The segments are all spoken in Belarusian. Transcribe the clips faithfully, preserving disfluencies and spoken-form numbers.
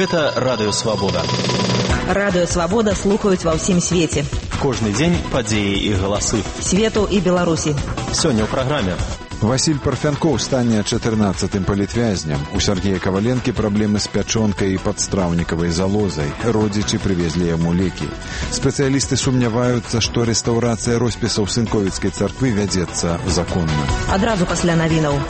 Гэта Радыё Свабода. Радыё Свабода слухаюць ва ўсім свеце. Кожны дзень падзеі і галасы. Свету і Беларусі. Сёння ў праграме. Васіль Парфянкоў стане чатырнаццатым палітвязням. У Сергея Каваленкі праблемы з пячонкай і падстраўнікавай залозай. Родзічы прывезлі яму лекі. Спецыялісты сумняваюцца, што рэстаўрацыя роспісаў Сынковіцкай царквы вядзецца законна. Адразу пасля навінаў.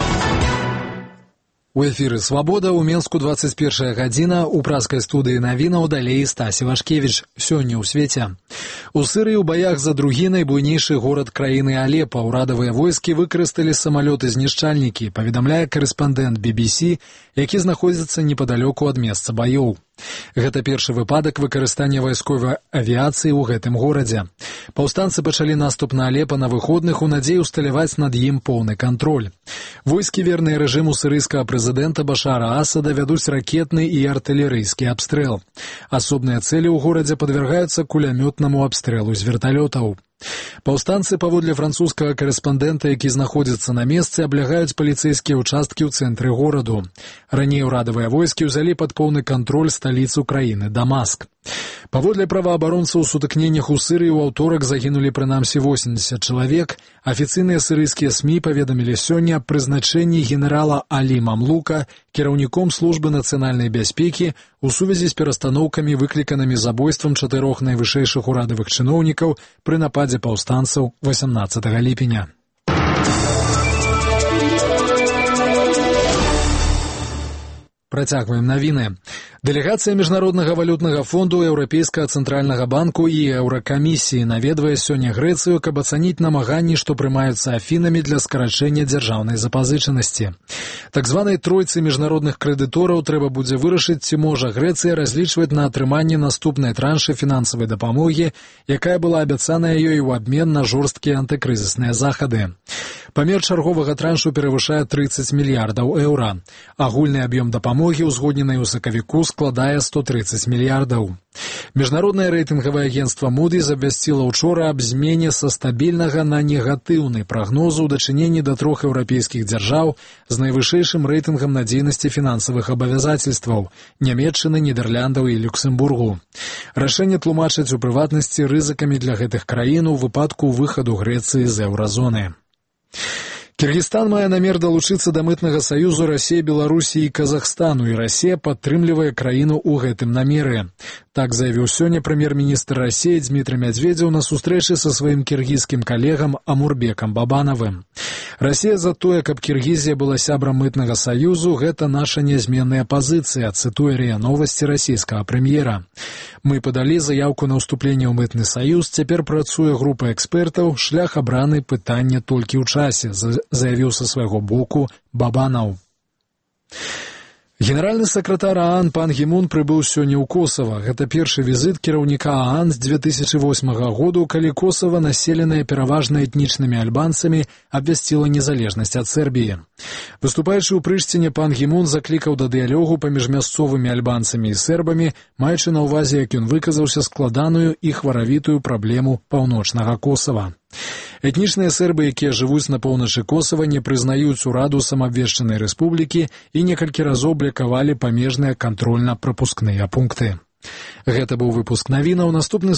У эфіры «Свабода» у Менску двадцать первая гадзіна, у праскай студыі навінаў далей Стасі Вашкевіч. Сёння ў свеце. У Сырыі ў баях за другі найбуйнейшы горад краіны Алепа ўрадавыя войскі выкарысталі самалёты-знішчальнікі, паведамляе карэспандэнт би би си, які знаходзіцца непадалёку ад месца баёў. Гэта першы выпадак выкарыстання вайсковай авіяцыі ў гэтым горадзе. Паўстанцы пачалі наступ на Алепа на выходных у надзеі усталяваць над ім поўны кантроль. Войскі, верныя рэжыму сырыйскага прэзідэнта Башара Асада, вядуць ракетны і артылерыйскі абстрэл. Асобныя цэлі ў горадзе падвяргаюцца кулямётнаму абстрэлу з верталётаў. Паўстанцы, паводле французскага карэспандэнта, які знаходзіцца на месцы, аблягаюць паліцэйскія ўчасткі ў цэнтры гораду. Раней урадавыя войскі ўзялі пад поўны кантроль сталіцу краіны Дамаск. Паводле праваабаронцаў, у сутыкненнях у Сырыі ў аўторак загінулі прынамсі восемьдесят чалавек. Афіцыйныя сырыйскія СМІ паведамілі сёння аб прызначэнні генерала Алі Мамлука кіраўніком службы нацыянальнай бяспекі у сувязі з перастаноўкамі, выкліканымі забойствам чатырох найвышэйшых урадавых чыноўнікаў пры нападзе паўстанцаў васямнаццатага ліпеня. Працягваем навіны. Дэлегацыя Міжнароднага валютнага фонду, Еўрапейскага цэнтральнага банку і Еўракамісіі наведвае сёння Грэцыю, каб ацаніць намаганні, што прымаюцца Афінамі для скарачэння дзяржаўнай запазычанасці. Так званай тройцы міжнародных крэдытораў трэба будзе вырашыць, ці можа Грэцыя разлічваць на атрыманне наступнай траншы фінансавай дапамогі, якая была абяцаная ёй у абмен на жорсткія антыкрызісныя захады. Памер чарговага траншу перавышае тридцать мільярдаў еўра. Агульны аб'ём дапамогі, узгодненай у сакавіку, складае сто тридцать мільярдаў. Міжнароднае рэйтынгавае агенцтва Moody's абвясціла ўчора аб змене са стабільнага на негатыўны прагноз у дачыненні да трох еўрапейскіх дзяржаў з найвышэйшым рэйтынгам надзейнасці фінансавых абавязацельстваў – Нямецчыны, Нідэрляндаў і Люксембургу. Рашэнне тлумачаць у прыватнасці рызыкамі для гэтых краін у выпадку выхаду Грэцыі з еўразоны. Кыргызстан мае намер далучыцца да мытнага саюзу Расіі, Беларусі і Казахстану, і Расія падтрымлівае краіну ў гэтым намеры. Так заявіў сёння прэм'ер-міністр Расіі Дмітрий Медведзеў на сустрэчы са сваім кіргізскім калегам Амурбекам Бабанавым. Расія за тое, каб Кіргізія была сябрам мытнага саюзу, гэта наша нязменная пазіцыя, цытуе РИА Новости расійскага прэм'ера. Мы падалі заявку на ўступленне ў мытны саюз, цяпер працуе група экспертаў, шлях абраны, пытанне толькі ў часе, заявіў са свайго боку Бабанаў. Генеральны сакратар ААН пан Гімун прыбыў сёння ў Косава. Гэта першы візіт кіраўніка ААН з две тысячи восьмага году, калі Косава, населенае пераважна этнічнымі альбанцамі, абвясціла незалежнасць ад Сербіі. Выступаючы ў Прышціне, пан Гімун заклікаў да дыялогу паміж мясцовымі альбанцамі і сербамі, маючы на ўвазе, як ён выказаўся, складаную і хваравітую праблему паўночнага Косава. Этнічныя сербы, якія жывуць на поўначы Косава, не прызнаюць ураду самаабвешчанай рэспублікі і некалькі разоў блакавалі памежныя кантрольна-прапускныя пункты. Гэта быў выпуск навінаў. Наступны